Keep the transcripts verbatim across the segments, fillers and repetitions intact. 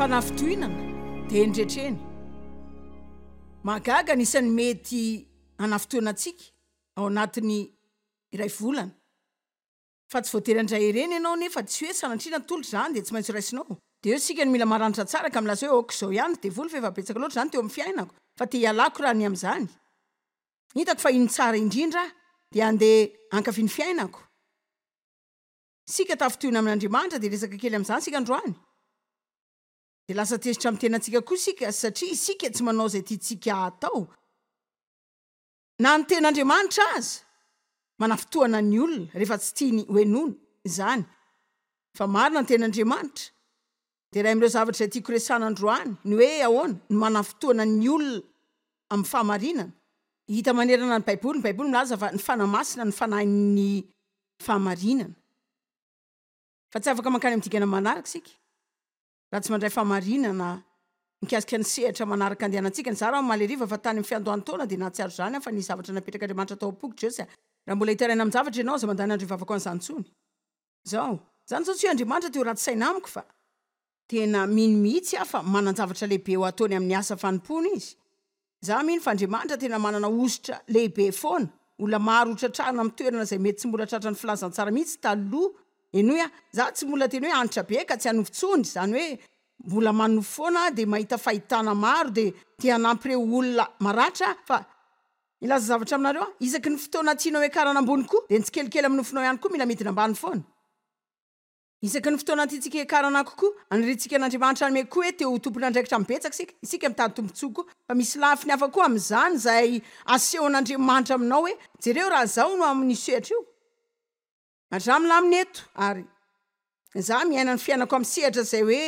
Fanafintohinana dia eny rehetra eny. Mahagaga ny isan'ny mety hanafintohina antsika ao anatin'ny iray volana. Fa tsy voatery handray ireny ianao nefa tsy hoe sanatria natolotra izany dia tsy maintsy raisinao. Dia eo isika no mila maranitra tsara ka milaza hoe ok izao ihany ry devoly fa efa betsaka loatra izany teo amin'ny fiainako fa te hialako raha ny amin'izany. Hitako fa iny tsara indrindra aho dia handeha hankafy ny fiainako. Isika tafintohina amin'Andriamanitra dia hiresaka kely amin'izany isika androany. Dia lasa tezitra amin'ny tenantsika koa isika satria isika tsy manao izay tiantsika hatao. Na ny tenin'Andriamanitra aza manafintohana ny olona rehefa tsy tiany hohenoina izany. Fa marina ny tenin'Andriamanitra. Dia iray amin'ireo zavatra izay tiako resahana androany ny hoe ahoana no manafintohana ny olona amin'ny fahamarinana. Hita manerana ny Baiboly, ny Baiboly milaza fa ny Fanahy Masina no fanahin'ny fahamarinana. Fa tsy afaka mankany amin'ny dingana manaraka isika raha tsy mandray fahamarinana mikasika ny sehatra manaraka andehanantsika. Nizara aho omaly hariva fa tany amin'ny fiandohan'ny taona dia nahatsiaro izany aho fa nisy zavatra napetrak'Andriamanitra tao am-poko. Josy a! Raha mbola hitaraina amin-javatra ianao, aza mandany andro hivavaka ho an'izany intsony. Izao, izany izao tsy hoe Andriamanitra te ho ratsy saina amiko fa tena mino mihitsy aho fa manan-javatra lehibe ho ataony amin'ny asa fanompoana Izy. Izaho mino fa Andriamanitra tena manana hosotra lehibe foana. Olona maro ho tratrarina amin'ny toerana izay mety tsy mbola tratran'ny filazantsara mihitsy taloha. Henoy aho, izaho tsy mbola teny hoe hanitra be ka tsy hanofy intsony, izany hoe mbola manofy foana aho dia mahita fahitana maro dia te hanampy ireo olona maratra aho fa hilaza zavatra aminareo aho, isaky ny fotoana tianao hiakarana ambony koa dia ny tsikelikely amin'ny nofinao ihany koa mila midina ambany foana. Isaky ny fotoana tiantsika hiakarana kokoa, aniriantsika an'Andriamanitra hanome koa hoe te ho tompon'andraikitra amin'ny betsaka isika, isika mitady tombontsoa koa, fa misy lafiny hafa koa amin'izany izay asehon'Andriamanitra aminao hoe jereo raha izao no amin'io sehatra io. Ary za milamina eto ary za miaina ny fiainako amin'ny sehatra izay hoe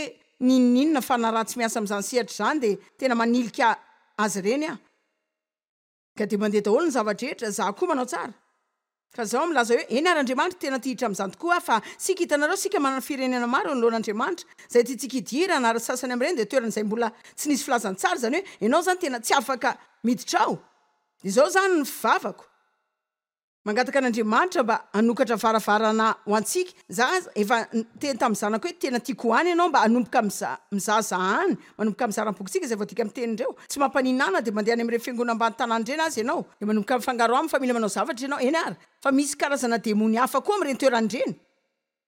n'inon'inona fa na raha tsy miasa amin'izany sehatra izany dia tena manilika azy ireny aho. Ka dia mandeha daholo ny zava-drehetra, za koa manao tsara. Fa zao milaza hoe eny ary Andriamanitra tena te hiditra amin'izany tokoa aho fa sika hitanareo sika manana firenena maro eo anoloan'Andriamanitra izay tiantsika hidirana ary sasany amin'ireny dia toerana izay mbola tsy nisy filazantsara izany hoe ianao izany tena tsy afaka miditra ao. Izao izany ny fivavako. Mangataka an'Andriamanitra mba hanokatra varavarana ho antsika. Za efa niteny tamin'ny zanako hoe tena tiako ho any ianao mba hanomboka mizaza any, manomboka mizara ny bokintsika izay voadika amin'ny teny ireo. Tsy mampaninana dia mandeha any amin'ireny fiangonana ambany tanàna ireny aza ianao. Dia manomboka mifangaro aminy fa mila manao zavatra ianao. Eny ary, fa misy karazana demony hafa koa amin'ireny toerana ireny.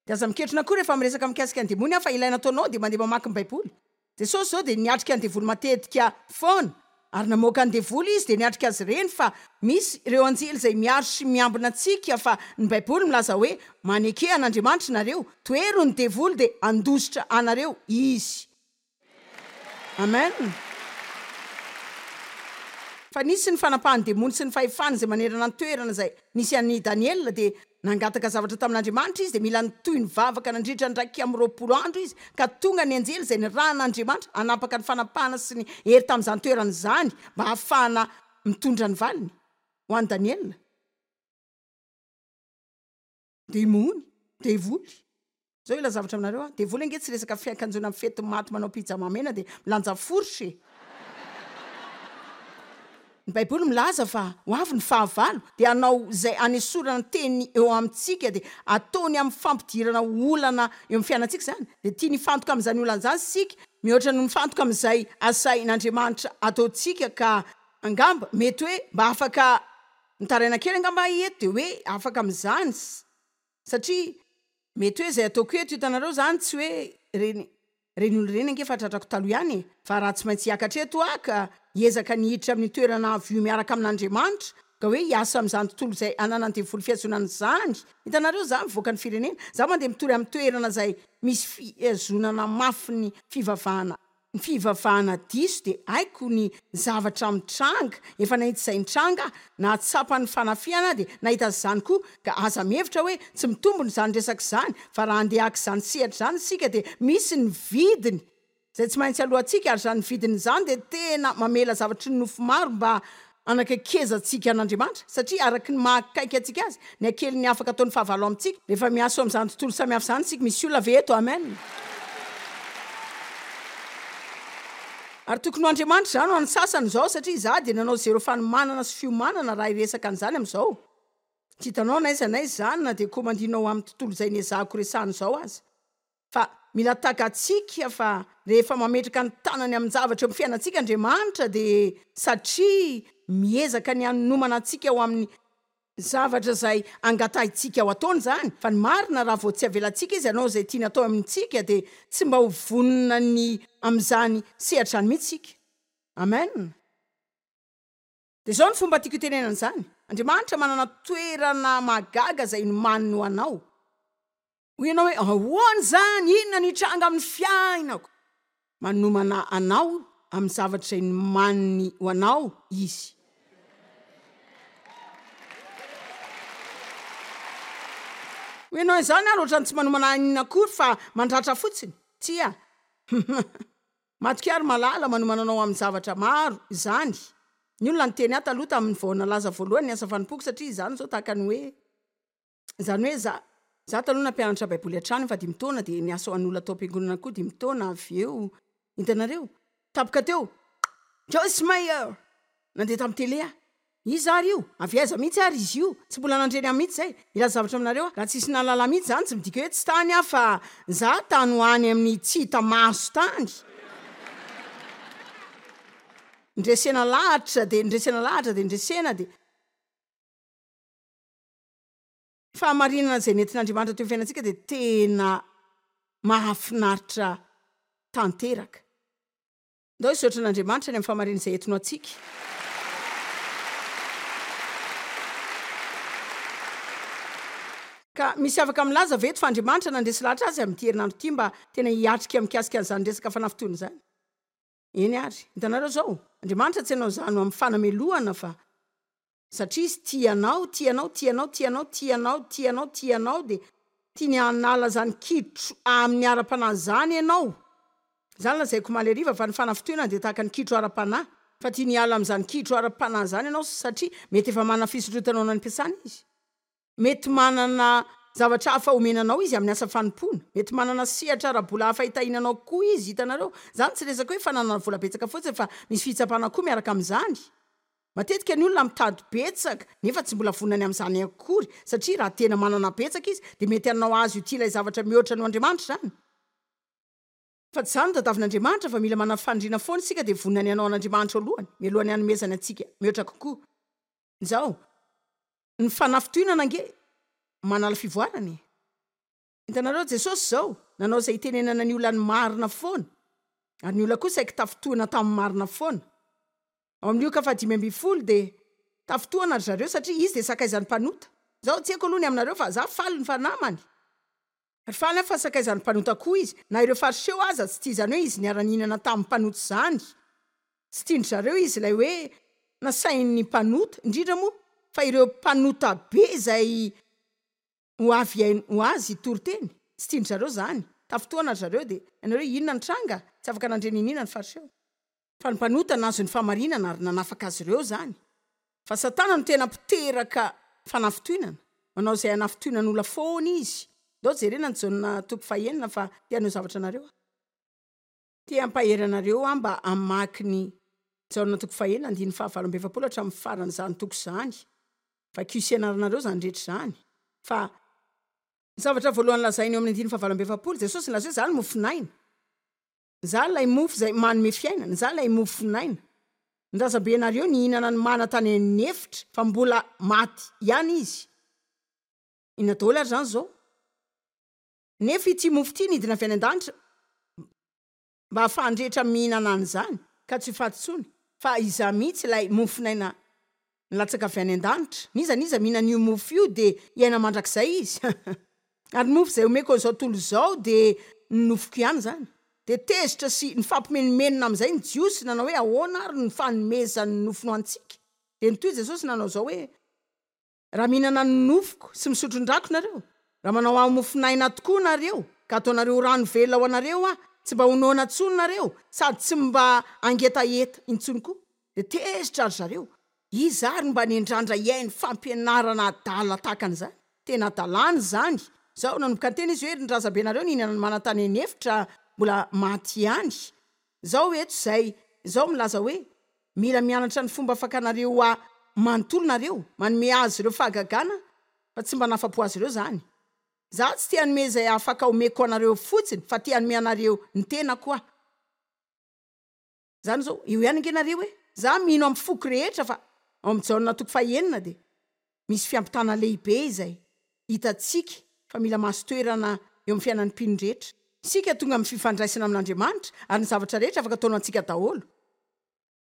Dia aza miketrona koa rehefa miresaka mikasika ny demony aho fa ilaina ataonao dia mandeha mamaky ny baiboly. Jesosy izao dia niatrika ny devoly matetika foana ary namoaka ny devoly izy dia niatrika azy ireny fa misy ireo anjely izay miaro sy miambina antsika fa ny baiboly milaza hoe maneke an'Andriamanitra nareo, tohero ny devoly dia handositra anareo izy. Amen. Fa nisy ny fanapahan'ny demony sy ny fahefany izay manerana ny toerana izay nisy an'i Daniela, dia nangataka zavatra tamin'Andriamanitra izy, dia mila nitohy nivavaka nandritra ny iraika amby roapolo andro izy, ka tonga ny anjely izay nirahan'Andriamanitra hanapaka ny fanapahana sy ny hery tamin'izany toerana izany mba hahafahana mitondra ny valiny ho an'i Daniela. Demony, devoly. Zao hilaza zavatra aminareo aho, devoly ange tsy resaka fiakanjoana mifety maty manao pyjama mena dia milanja fourche e! Ny baiboly milaza fa ho avy ny fahavalo dia hanao izay hanesorana ny teny eo amintsika dia ataony amin'ny fampidirana olana eo amin'ny fiainantsika izany dia tiany hifantoka amin'izany olana izany isika mihoatra noho mifantoka amin'izay asain'Andriamanitra ataontsika ka angamba mety hoe mba afaka mitaraina kely angamba aho eto dia hoe afaka amin'izany satria mety hoe izay ataoko eto hitanareo izany tsy hoe ireny ireny olona ireny ange efa tratrako taloha ihany e! Fa raha tsy maintsy hiakatra eto aho ka hiezaka ny hiditra amin'io toerana avo io miaraka amin'Andriamanitra ka hoe hiasa amin'izany tontolo izay ananan'ny devoly fihazonana izany hitanareo izaho mivoaka ny firenena izaho mandeha mitory amin'ny toerana izay misy fihazonana mafy ny fivavahana Ny fivavahana diso dia haiko ny zavatra mitranga, efa nahita izay nitranga aho, nahatsapa ny fanafihana aho dia nahita izany koa, ka aza mihevitra hoe tsy mitombina izany resaka izany, fa raha handeha haka izany sehatra izany isika dia misy ny vidiny izay tsy maintsy aloantsika, ary izany vidiny izany dia tena mamela zavatry ny nofo maro mba hanakaikezantsika an'Andriamanitra, satria araka ny maha akaiky antsika Azy, ny hakelin'ny afaka ataon'ny fahavalo amintsika. Rehefa miasa ao amin'izany tontolo samihafa izany isika, misy olona ve eto? Amen! Ary tokony ho Andriamanitra izany ho an'ny sasany izao, satria izaho dia nanao zéro fanomanana sy fiomanana raha hiresaka an'izany amin'izao. Tsy hitanao n'aiza n'aiza izany na dia komandinao amin'ny tontolo izay nezahako resahana izao aza. Fa mila takatsika fa rehefa mametraka ny tanany amin-javatra eo amin'ny fiainantsika Andriamanitra dia satria miezaka ny hanomana antsika ho amin'ny zavatra izay angatahintsika ho ataony izany. Fa ny marina, raha vao tsy avelantsika Izy hanao izay tiany atao amintsika dia tsy mba ho vonona ny amin'izany sehatra izany mihitsy isika. Amen. Dia izao ny fomba tiako hitenenana izany, Andriamanitra manana toerana mahagaga izay nomaniny ho anao. Hoy ianao hoe, Ahoana izany? Inona no hitranga amin'ny fiainako? Manomana anao amin'ny zavatra izay nomaniny ho anao Izy. Hoy ianao, Izany ary ohatran'ny tsy manomana ahy inona akory fa mandratra fotsiny. Tsia. Matokia ry malala, manomana anao amin'ny zavatra maro izany. Ny olona niteny ahy taloha tamin'ny vao nalaza voalohany ny asa fanompoako satria izany izao tahaka ny hoe izany hoe za za taloha nampianatra baiboly hatrany efa dimy taona dia niasa ho an'olona tao am-piangonana koa dimy taona avy eo. Hitanareo? Tampoka teo, Joyce Meyer! Nandeha tamin'ny tele aho. Iza ary io? Avy aiza mihitsy ary izy io? Tsy mbola nandre ny ahy mihitsy izay. Hilaza zavatra aminareo aho, raha tsisy nahalala ahy mihitsy izany, tsy midika hoe tsy tany aho fa za tany ho any amin'ny tsy hita maso tany. Ndresena lahatra dia ndresena lahatra dia ndresena dia. Fahamarinana izay nentin'Andriamanitra teo amin'ny fiainantsika dia tena mahafinaritra tanteraka. Ndao hisaotra an'Andriamanitra ny amin'ny fahamarinana izay entiny ho antsika. Ka misy afaka milaza ve eto fa Andriamanitra nandresy lahatra azy amin'ity herinandro ity mba tena hiatrika mikasika an'izany resaka fanafintohina izany? Eny ary. Hitanareo izao, Andriamanitra tsy hanao izany ho amin'ny fanamelohana fa satria Izy tia anao, tia anao, tia anao, tia anao, tia anao, tia anao, tia anao, dia tiany hanala izany kitro amin'ny ara-panahy izany ianao. Izany lazaiko omaly hariva fa ny fanafintohinana dia tahaka ny kitro ara-panahy. Fa tiany hiala amin'izany kitro ara-panahy izany ianao satria mety efa manana fisondrotana ao an'ampiasana izy. Mety manana zavatra hafa omena anao izy amin'ny asa fanompoana. Mety manana sehatra ara-bola hafa hitahiana anao koa izy. Hitanareo? Izany tsy resaka hoe fananana vola betsaka fotsiny fa misy fitsapana koa miaraka amin'izany. Matetika ny olona mitady betsaka nefa tsy mbola vonona ny amin'izany akory satria raha tena manana betsaka izy dia mety hanao azy ho tia ilay zavatra mihoatra noho Andriamanitra izany. Fa tsy izany no tadiavin'Andriamanitra fa mila manana faniriana foana isika dia vonona ny hanao an'Andriamanitra alohany mialohan'ny hanomezany antsika mihoatra kokoa. Izao, ny fanafintohinana ange manala fivoarana e! Hitanareo, Jesosy izao nanao izay hitenenana ny olona ny marina foana ary ny olona koa saiky tafintohina tamin'ny marina foana. Ao amin'ny Lioka fahadimy ambin'ny folo dia tafintohina ry zareo satria izy dia sakaizan'ny mpanota. Izao, tsy haiko aloha ny aminareo fa za faly ny fa namany. Ary faly aho fa sakaizan'ny mpanota koa izy. Na ireo Fariseo aza tsy tia izany hoe izy niara-nihinana tamin'ny mpanota izany. Tsy tian-dry zareo izy ilay hoe nasain'ny mpanota, indrindra moa fa ireo mpanota be izay ho avy hihaino ho azy hitory teny. Tsy tian-dry zareo izany. Tafintohina ry zareo dia ianareo inona ny tranga? Tsy afaka nandre n'inona ny Fariseo. Fa ny mpanota nahazo ny fahamarinana ary nanafaka azy ireo izany. Fa Satana no tena mpiteraka fanafintohinana. Manao izay hanafintohinan'olona foana izy. Ndao jerena ny Jaona toko fahenina fa te haneho zavatra anareo aho. Te hampahery anareo aho mba hamaky ny Jaona toko fahenina andininy fahavalo amby efapolo hatramin'ny faran'izany toko izany. Vakio sy ianaranareo izany rehetra izany. Fa ny zavatra voalohany lazainy eo amin'ny andininy fahavalo amby efapolo, Jesosy nilaza hoe, Izaho no mofon'aina. Izaho ilay mofo izay manome fiainana, izaho ilay mofon'aina. Ny razambenareo nihinana ny mana tany an'efitra fa mbola maty ihany izy. Inona daholo ary izany izao? Nefa ity mofo ity nidina avy any an-danitra mba hahafahan'ny rehetra mihinana an'izany ka tsy ho faty intsony. Fa izaho mihitsy ilay mofon'aina nilatsaka avy any an-danitra. N'iza n'iza mihinana io mofo io dia hiaina mandrakizay izy. Ary ny mofo izay omeko an'izao tontolo izao dia ny nofoko ihany izany. Dia tezitra sy nifampimenomenona amin'izay ny Jiosy nanao hoe, Ahoana ary ny fanomezany ny nofony ho antsika? Dia nitohy Jesosy nanao izao hoe, Raha mihinana ny nofoko sy misotro ny rako nareo, raha manao ahy ho mofon'aina tokoa nareo, ka ataonareo ho rano velona ho anareo aho, tsy mba ho noana intsony nareo, sady tsy mba hangetaheta intsony koa. Dia tezitra ry zareo. Iza ary no mba niandrandra hihaino fampianarana adala tahaka an'izany? Tena hadalana izany! Izao, nanomboka niteny izy hoe, Ry ny razambenareo nihinana ny mana tany an'efitra mbola maty ihany. Izao eto izay, izao milaza hoe, Mila mianatra ny fomba fakanareo ahy manontolo nareo, manome azy ireo fahagagana fa tsy mba nahafapo azy ireo izany. Za tsy te hanome izay afaka omeko anareo fotsiny fa te hanome anareo ny tenako aho. Zany zao, eo ihany ange nareo e! Za mino amin'ny foko rehetra fa ao amin'ny Jaona toko fahenina dia misy fiampitana lehibe izay hitantsika fa mila mahazo toerana eo amin'ny fiainan'ny mpino rehetra. Isika tonga amin'ny fifandraisana amin'Andriamanitra ary ny zavatra rehetra afaka ataony ho antsika daholo.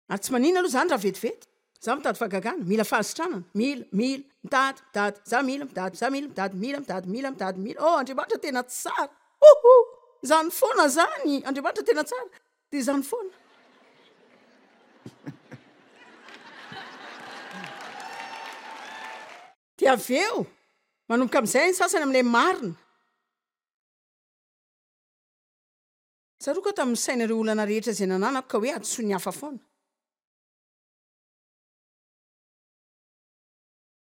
Ary tsy maninona aloha izany raha vetivety. Za mitady fahagagana, mila fahasitranana, mila, mila, mitady, mitady, za mila, mitady, za mila, mitady, mila, mitady, mila, mitady, mila, oh Andriamanitra tena tsara, oho, izany foana izany, Andriamanitra tena tsara, dia izany foana. Dia avy eo, manomboka amin'izay ny sasany amin'ilay marina. Tsaroako aho tamin'ny nisaina ireo olana rehetra izay nananako ka hoe hadisoan'ny hafa foana.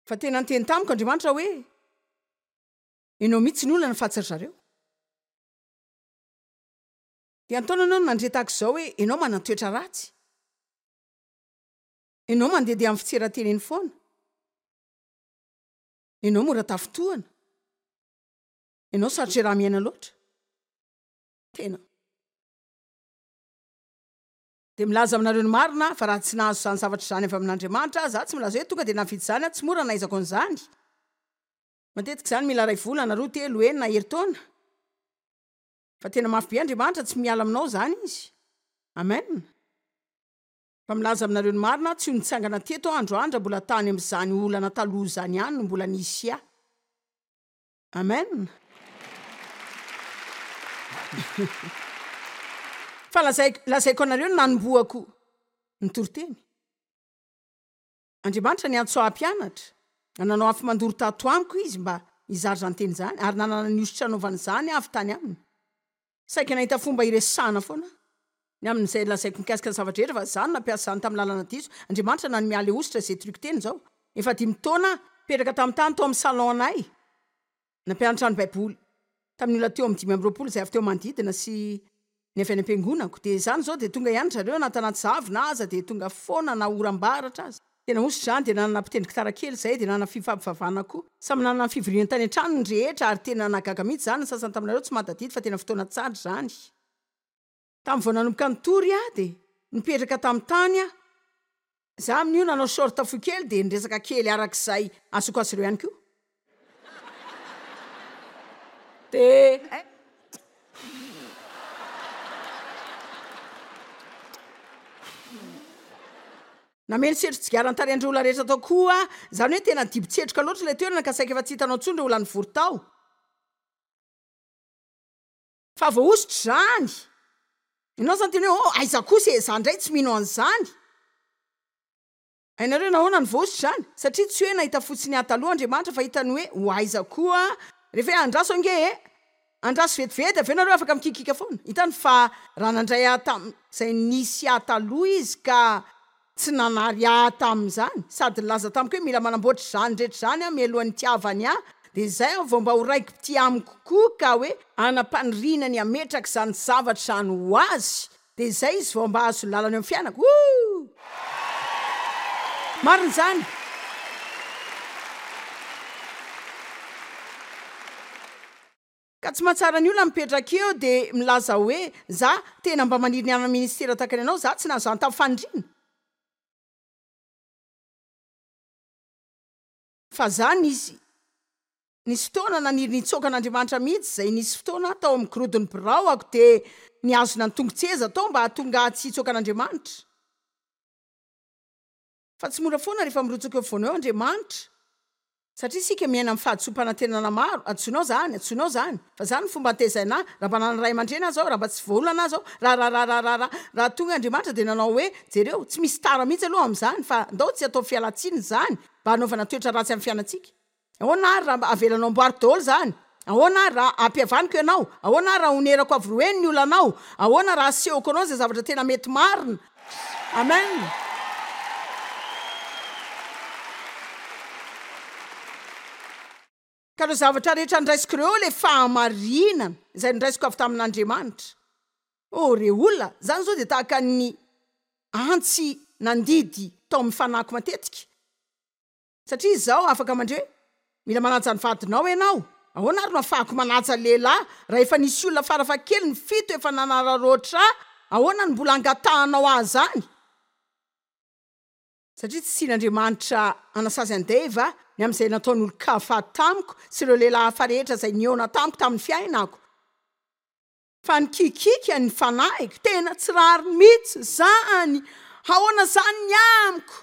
Fa tena niteny tamiko Andriamanitra hoe, Ianao mihitsy ny olana fa tsy ry zareo. Dia an-taonany aho no nandre tahaka izao hoe, Ianao manan-toetra ratsy. Ianao mandehandeha amin'ny fitseran-tena eny foana. Ianao mora tafintohana. Ianao sarotra iaraha-miaina loatra. Tena. Dia milaza aminareo ny marina aho fa raha tsy nahazo izany zavatra izany avy amin'Andriamanitra aho, izaho tsy milaza hoe tonga dia nahavita izany aho, tsy mora nahaizako an'izany. Matetika izany mila iray volana, roa, telo, enina, herintaona. Fa tena mafy be Andriamanitra, tsy miala aminao izany Izy. Amen. Fa milaza aminareo ny marina aho, tsy ho nitsangana teto aho androany raha mbola tany amin'izany olana taloha izany ihany no mbola nisy ahy. Amen. Fa lazaiko, lazaiko anareo ny nanombohako ny toriteny. Andriamanitra niantso ahy hampianatra, nanao afo mandoro tato amiko Izy mba hizara izany teny izany, ary nanana ny hosotra hanaovana izany aho avy tany Aminy. Saika nahita fomba hiresahana foana aho ny amin'izay lazaiko mikasika ny zava-drehetra, fa izaho no nampiasa izany tamin'ny lalana diso. Andriamanitra nanome ahy ilay hosotra izay toriko teny izao. Efa dimy taona aho, nipetraka tamin'ny tany tao amin'ny salon-nay, nampianatra ny Baiboly tamin'ny olona teo amin'ny dimy amby roapolo izay avy teo manodidina sy ny avy any am-piangonako. Dia izany izao dia tonga ihany ry zareo na tanaty zavona aza dia tonga foana na oram-baratra aza. Tena hosotra izany, dia nanana mpitendry gitara kely izahay, dia nanana fifampivavahana koa. Samy nanana ny fivoriany tany an-trano ny rehetra ary tena nahagaga mihitsy izany, ny sasany taminareo tsy mahatadidy fa tena fotoana tsara izany. Tamin'ny vao nanomboka nitory aho dia nipetraka tamin'ny tany aho. Za amin'io nanao short fohy kely dia niresaka kely arak'izay azoko azy ireo ihany koa. Dia. Nameno setro-tsigara ny tarehin'ireo olona rehetra tao koa aho. Izany hoe tena dibo-tsetroka loatra ilay toerana ka saika efa tsy hitanao intsony ireo olona nivory tao. Fa voahosotra izany. Ianao izany tena hoe, oh, aiza kosa e, za indray tsy mino an'izany. Hainareo nahoana no voahosotra izany? Satria tsy hoe nahita fotsiny ahy taloha Andriamanitra fa hitany hoe ho aiza koa rehefa hoe andraso ange e! Andraso vetivety avy eo nareo afaka mikikiaka foana. Hitany fa raha nandray ahy tamin'izay nisy ahy taloha izy ka tsy nanary ahy tamin'izany sady nilaza tamiko hoe mila manamboatra izany rehetra izany aho mialohan'ny hitiavany ahy dia izay aho vao mba ho raiki-pitia amiko koa ka hoe hanam-paniriana ny hametraka izany zavatra izany ho azy dia izay izy vao mba hahazo lalana eo amin'ny fiainako. Ooh! Marina izany! Ka tsy mahatsara ny olona mipetraka eo dia milaza hoe za tena mba maniry ny hanana ministera tahaka ny anao, za tsy nahazo izany tamin'ny faniriana. Fa za nisy nisy fotoana naniry ny hitsoaka an'Andriamanitra mihitsy izay nisy fotoana aho tao amin'ny gorodon'ny birao ako dia nihazona ny tongo-tseza tao mba hahatonga ahy tsy hitsoaka an'Andriamanitra. Fa tsy mora foana rehefa mirotsaka eo afovoanao eo Andriamanitra. Satria isika miaina amin'ny fahadisoam-panantenana maro, antsoinao izany, antsoinao izany, fa izany ny fomba nitezaina ahy, raha mba nanana ray aman-dreny aza aho, raha mba tsy voaolana aza aho, raha raha raha raha raha raha, raha tonga Andriamanitra dia nanao hoe, jereo, tsy misy tara mihitsy aloha amin'izany, fa ndao tsy atao fialan-tsiny izany mba hanaovana toetra ratsy amin'ny fiainantsika. Ahoana ary raha mba avelanao amboariko daholo izany? Ahoana ary raha ampihavaniko ianao? Ahoana ary raha onerako avy roa heny ny olanao? Ahoana raha asehoko anao izay zavatra tena mety marina? Amen! Ka ireo zavatra rehetra ndraisiko ireo ilay fahamarinana izay ndraisiko avy tamin'Andriamanitra. Oh, re olona, izany izao dia tahaka ny antsy nandidy tao amin'ny fanahiko matetika. Satria izao afaka mandre hoe, mila manaja ny vadinao ianao, Ahoana ary no afahako manaja lehilahy raha efa nisy olona farafahakeliny fito efa nanararaotra ahy? Ahoana no mbola angatahanao ahy izany? Satria tsy tian'Andriamanitra hanasazy an'i Dave aho ny amin'izay nataon'olon-kafa tamiko sy ireo lehilahy hafa rehetra izay nihaona tamiko tamin'ny fiainako. Fa nikikiaka ny fanahiko, tena tsy rariny mihitsy izany! Ahoana izany ny amiko?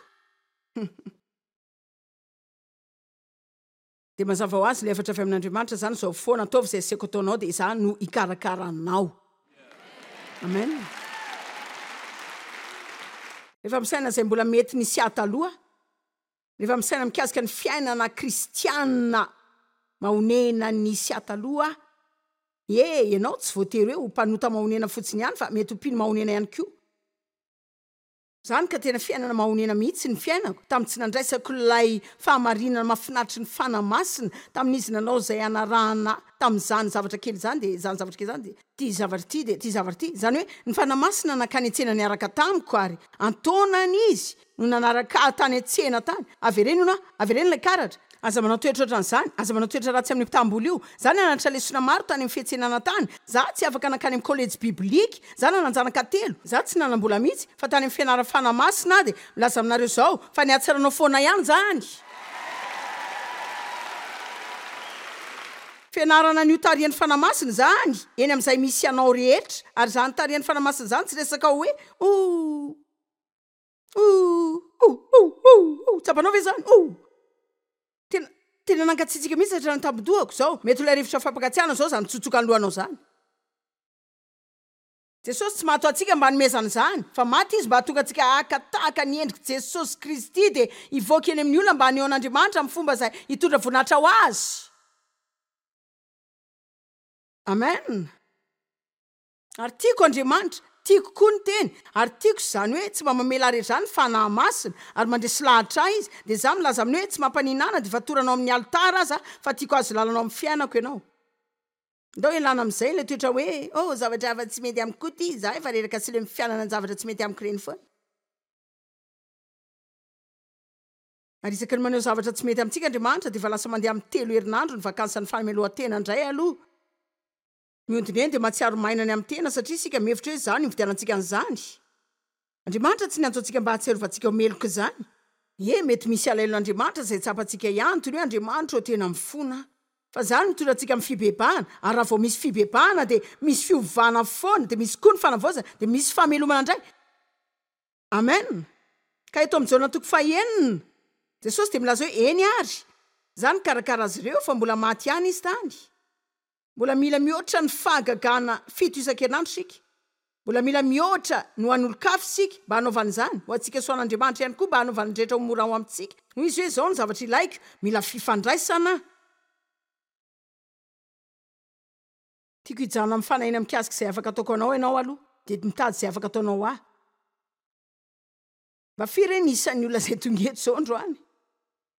Dia mazava ho azy, ilay hafatra avy amin'Andriamanitra izany izao foana, ataovy izay aseko ataonao dia izaho no hikarakara anao. Amen. Rehefa misaina izay mbola mety nisy ahy taloha, rehefa misaina mikasika ny fiainana kristiana mahonena nisy ahy taloha aho, ie, ianao tsy voatery hoe ho mpanota mahonena fotsiny ihany fa mety ho mpino mahonena ihany koa. Izany ka tena fiainana mahonena mihitsy ny fiainako, tamin'ny tsy nandraisako ilay fahamarinana mahafinaritry ny Fanahy Masina, tamin'izy nanao izay hanarahana ahy tamin'izany zavatra kely izany, dia izany zavatra kely izany, dia ity zavatra ity, dia ity zavatra ity. Izany hoe ny Fanahy Masina nankany an-tsena niaraka tamiko, ary an-taonany Izy no nanaraka ahy tany an-tsena tany. Avereno hono aho, avereno ilay karatra. Aza manao toetra ohatran'izany, aza manao toetra ratsy amin'io mpitam-bola io. Za nianatra lesona maro tany amin'ny fiantsenana tany. Za tsy afaka nankany amin'ny kolejy biblika. Za nanan-janaka telo. Za tsy nanam-bola mihitsy, fa tany amin'ny fianarana Fanahy Masina aho dia milaza aminareo izao fa ny hatsaranao foana ihany izany. Fianarana an'io tarihan'ny Fanahy Masina izany eny amin'izay misy anao rehetra. Ary izany tarihan'ny Fanahy Masina izany tsy resaka hoe oh. Ouh! Ouh! Ouh! Ouh! Ouh! Tsapanao ve izany? Ouh! Tena, tena nangatsiatsiaka mihitsy hatrany an-tampon-dohako izao. Mety ho ilay rivotra fampangatsiahana izao izany mitsotsoka ny lohanao izany. Jesosy tsy maty ho antsika mba hanomezana izany, fa maty Izy mba hahatonga antsika haka tahaka ny endrik'i Jesosy Kristy dia hivoaka eny amin'ny olona mba haneho an'Andriamanitra amin'ny fomba izay hitondra voninahitra ho Azy. Amen. Ary tiako Andriamanitra, tiako koa ny Teny, ary tiako izany hoe tsy mba mamela ahy rery izany ny Fanahy Masina, ary mandresy lahatra ahy Izy, dia izaho milaza aminy hoe tsy mampaninona ahy na dia fatoranao amin'ny alitara aza fa tiako hahazo lalana ao amin'ny fiainako ianao. Ndao ialana amin'izay ilay toetra hoe oh zavatra hafa tsy mety amiko koa ity, izaho efa reraka sy leo ny fianana ny zavatra tsy mety amiko ireny foana. Ary isaky ny maneho zavatra tsy mety amintsika Andriamanitra dia efa lasa mandeha amin'ny telo herinandro ny vakansan'ny fahamelohan-tena indray aloha. Mihodina eny dia mahatsiaro maina ny amin'ny tena satria isika mihevitra hoe izany no nividianantsika an'izany. Andriamanitra tsy niantso antsika mba hahatsiarovantsika ho meloka izany. Ie, mety misy alahelon'Andriamanitra izay tsapantsika ihany, toy ny hoe Andriamanitra ô tena mifona aho. Fa izany no mitondra antsika amin'ny fibebahana, ary raha vao misy fibebahana dia misy fiovana foana, dia misy koa ny fanavaozana, dia misy famelomana indray. Amen! Ka eto amin'ny Jaona toko fahenina, Jesosy dia milaza hoe eny ary, Izaho nikarakara azy ireo fa mbola maty ihany izy tany. Mbola mila mihoatra ny fahagagana fito isan-kerinandro isika. Mbola mila mihoatra no an'olon-kafa isika mba hanaovana izany, ho antsika sy ho an'Andriamanitra ihany koa mba hanaovana ny rehetra ho mora ho amintsika. Hoy izy hoe, Izao no zavatra ilaiko, mila fifandraisana aho. Tiako hijanona amin'ny fanahiana mikasika izay afaka ataoko anao ianao aloha, dia mitady izay afaka ataonao ahy. Mba firy re ny isan'ny olona izay tonga eto izao androany?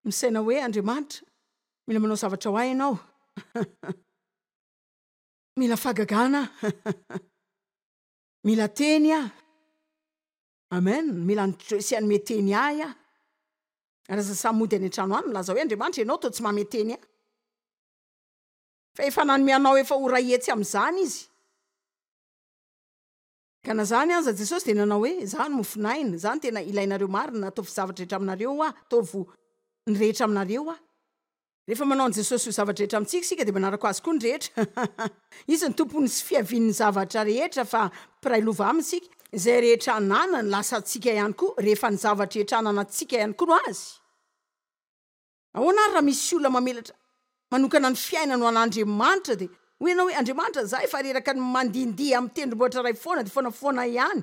Misaina hoe, Andriamanitra, mila manao zavatra ho ahy Ianao. Mila fahagagana aho. Mila teny aho. Amen. Mila an'i Joyce hanome teny ahy aho. Ary aza samy mody any an-trano any milaza hoe, Andriamanitra, Ianao toa tsy manome teny ahy. Fa efa nanome anao efa ho iray hetsy amin'izany Izy. Ka na zany aza, Jesosy dia nanao hoe, Izaho no mofon'aina, Izaho no tena ilainareo marina, ataovy zavatra rehetra aminareo Aho, ataovy ny rehetra aminareo Aho. Rehefa manao an'i Jesosy ho zava-drehetra amintsika isika dia manaraka Azy koa ny rehetra. Izy no Tompony sy fiavian'ny zavatra rehetra fa mpiray lova Aminy isika. Izay rehetra ananany lasa antsika ihany koa rehefa ny zava-drehetra ananantsika ihany koa no Azy. Ahoana ary raha misy olona mamelatra manokana ny fiainany ho an'Andriamanitra dia hoy ianao hoe, Andriamanitra, za efa reraka ny mandihindihy amin'ny tendrombohitra iray foana dia foana foana ihany,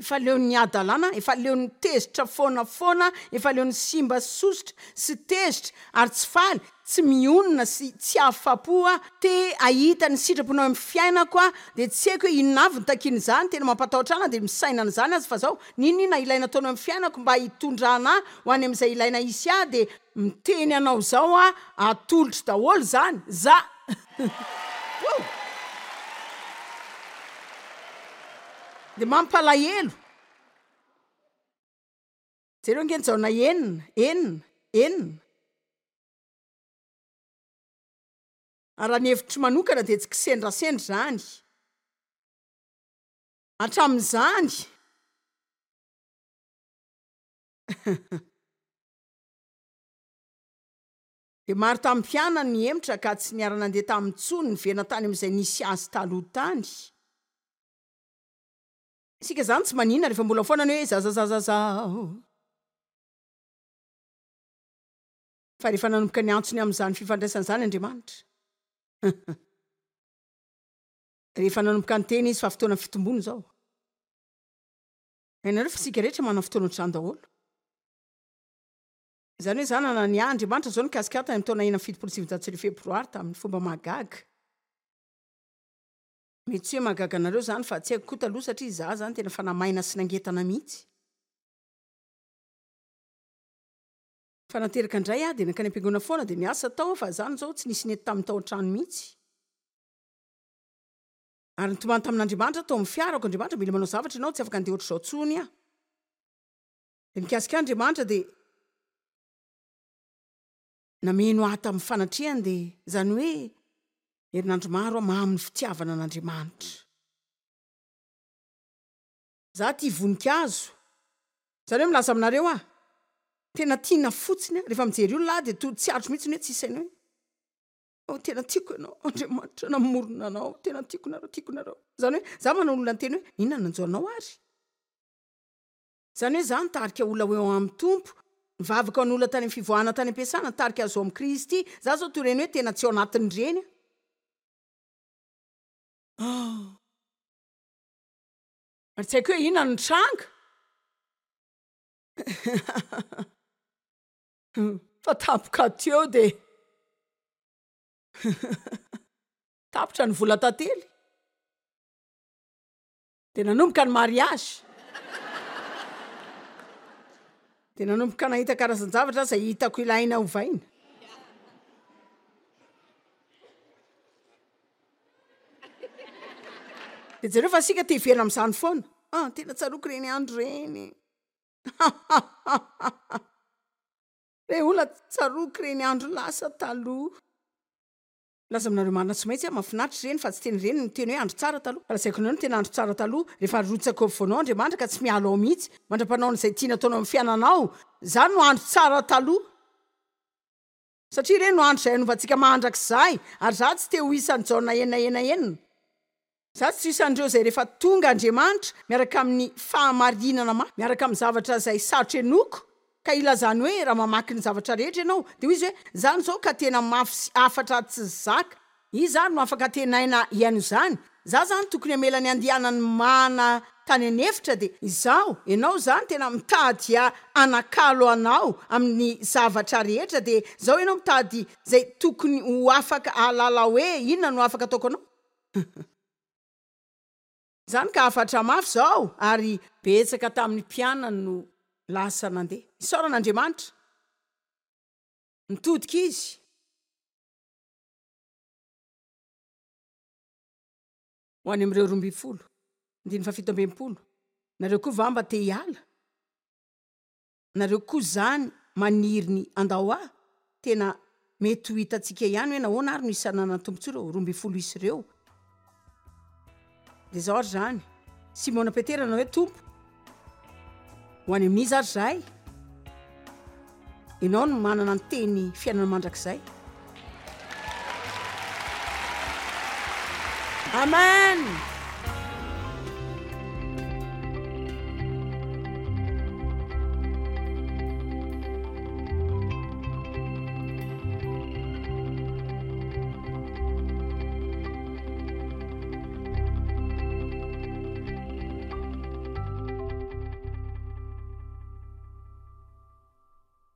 efa leon'ny hadalana, efa leon'ny tezitra foana foana, efa leon'ny simba sy sosotra sy tezitra ary tsy faly, tsy mionona sy tsy afapo aho, te hahita ny sitraponao eo amin'ny fiainako aho, dia tsy haiko hoe inona avy no takian'izany, tena mampatahotra ahy na dia misaina an'izany aza fa zao, n'inon'inona ilaina ataonao eo amin'ny fiainako mba hitondrana ahy ho any amin'izay ilaina hisy ahy dia miteny anao izao aho, atolotro daholo izany, za! Woo! Dia mampalahelo. Jereo ange ny Jaona enina, enina, enina. Ary raha ny hevitro manokana dia tsy kisendrasendra izany. Hatramin'izany. Dia maro tamin'ny mpianany nihemotra ka tsy niara-nandeha taminy intsony, niverina tany amin'izay nisy azy taloha tany. Isika izany tsy maninona rehefa mbola foana ny hoe zazazazazao. Fa rehefa nanomboka niantso ny amin'izany fifandraisana izany Andriamanitra, rehefa nanomboka niteny Izy fa fotoana fitomboana izao. Hainareo fa isika rehetra manana fotoana ohatr'izany daholo. Izany hoe izaho nanana ny ahy, Andriamanitra izao nikasika ahy tany amin'ny taona enina amby fitopolo sy sivinjato sy arivo febroary tamin'ny fomba mahagaga. Mety tsy hoe mahagaga anareo izany fa tsy haiko koa taloha satria izaho izany tena fanahy maina sy nangetana mihitsy. Fa nateraka indray aho dia nankany am-piangonana foana dia niasa tao aho fa izany izao tsy nisy nety tamin'ny tao an-trano mihitsy. Ary nitomany tamin'Andriamanitra aho tao amin'ny fiarako, Andriamanitra mila manao zavatra ianao, tsy afaka handeha ohatr'izao intsony aho. Dia nikasika ahy Andriamanitra dia nameno ahy tamin'ny fanatrehany dia izany hoe herinandro maro aho mamy ny fitiavana an'Andriamanitra. Za tia voninkazo. Izany hoe milaza aminareo aho, tena tiana fotsiny aho. Rehefa mijery olona aho dia toa tsy aritro mihitsy ny hoe tsy saina hoe oh tena tiako ianao, Andriamanitra namorona anao, tena tiako nareo, tiako nareo. Izany hoe za manao olona niteny hoe inona no nanjo anao ary? Izany hoe za nitarika olona ho eo amin'ny Tompo, nivavaka ho an'olona tany amin'ny fivoahana tany am-piasana, nitarika azy ho amin'i Kristy. Za zao toy ireny hoe tena tsy ao anatin'ireny aho. Oh. Ary tsy haiko hoe inona no nitranga. Fa tampoka teo dia tapitra ny vola tantely. Dia nanomboka ny mariage. Dia nanomboka nahita karazan-javatra aho izay hitako ilaina hovaina. Dia jereo fa isika te hiverina amin'izany foana. Ah, tena tsaroako ireny andro ireny. Re olona, tsaroako ireny andro lasa taloha. Milaza aminareo marina tsy maintsy aho, mahafinaritra ireny fa tsy tena ireny no teny hoe andro tsara taloha. Fa lazaiko anareo ny tena andro tsara taloha, rehefa arotsaka eo afovoanao Andriamanitra ka tsy miala ao mihitsy, mandra-panao an'izay tiany ataonao amin'ny fiainanao. Izany no andro tsara taloha. Satria ireny no andro izay hanovantsika mandrakizay, ary izaho tsy te ho isan'i Jaona enina enina enina. Izaho tsy ho isan'ireo izay rehefa tonga Andriamanitra, miaraka amin'ny fahamarinana mafy, miaraka amin'ny zavatra izay sarotra henoiko, ka ilazany hoe raha mamaky ny zavatra rehetra ianao, dia hoy izy hoe, izany izao ka tena mafy sy hafatra tsy zaka. Iza ary no afaka antenaina hihaino izany? Za zany tokony hamela ny andehanany mana tany an'efitra dia izaho, ianao zany tena mitady hanakalo anao amin'ny zavatra rehetra dia zao ianao mitady zay tokony ho afaka hahalala hoe inona no afaka ataoko anao? Zany ka hafatra mafy zao ary betsaka tamin'ny mpianany no lasa nandeha. Isaorana Andriamanitra. Nitodika izy. Ho any amin'ireo roa ambin'ny folo. Andininy fahafito amby enimpolo. Nareo koa va mba te hiala? Nareo koa izany maniry ny handao ahy? Tena mety ho hitantsika ihany hoe nahoana ary no isan'ny nanan-tombontsoa ireo roa ambin'ny folo isa ireo. Dia izao ary izany, Simona Petera nanao hoe, Tompo, ho any amin'iza ary izahay? Ianao no manana ny teny fiainana mandrakizay. Amen!